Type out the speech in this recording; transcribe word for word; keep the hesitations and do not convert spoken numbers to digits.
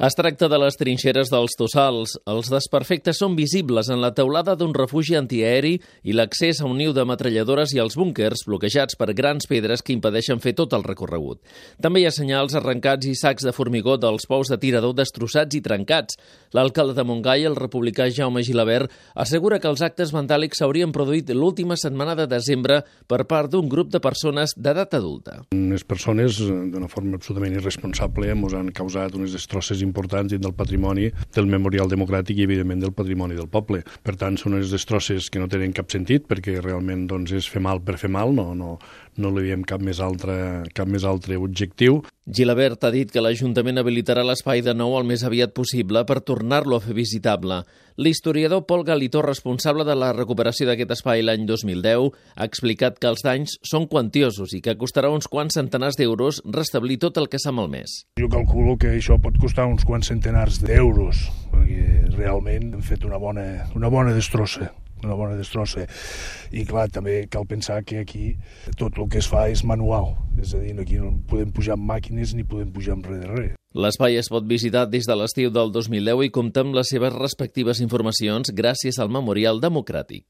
Es tracta de les trinxeres dels Tossals. Els desperfectes són visibles en la teulada d'un refugi antiaeri i l'accés a un niu de metralladores i els búnquers bloquejats per grans pedres que impedeixen fer tot el recorregut. També hi ha senyals arrencats i sacs de formigó dels pous de tirador destrossats i trencats. L'alcalde de Montgai, el republicà Jaume Gilabert, assegura que els actes vandàlics s'haurien produït l'última setmana de desembre per part d'un grup de persones d'edat adulta. Unes persones, d'una forma absolutament irresponsable, ens han causat unes destrosses importants dins del patrimoni del Memorial Democràtic i, evidentment, del patrimoni del poble. Per tant, són unes destrosses que no tenen cap sentit, perquè realment doncs, és fer mal per fer mal, no, no, no li veiem cap més altre, cap més altre objectiu. Gilabert ha dit que l'Ajuntament habilitarà l'espai de nou el més aviat possible per tornar-lo a fer visitable. L'historiador Pol Galitó, responsable de la recuperació d'aquest espai l'any dos mil deu, ha explicat que els danys són quantiosos i que costarà uns quants centenars d'euros restablir tot el que s'ha malmès. Jo calculo que això pot costar uns quants centenars d'euros, perquè realment hem fet una bona, una bona destrossa. una bona destrossa. I clar, també cal pensar que aquí tot el que es fa és manual, és a dir, aquí no podem pujar amb màquines ni podem pujar amb res de res. L'espai es pot visitar des de l'estiu del dos mil deu i compta amb les seves respectives informacions gràcies al Memorial Democràtic.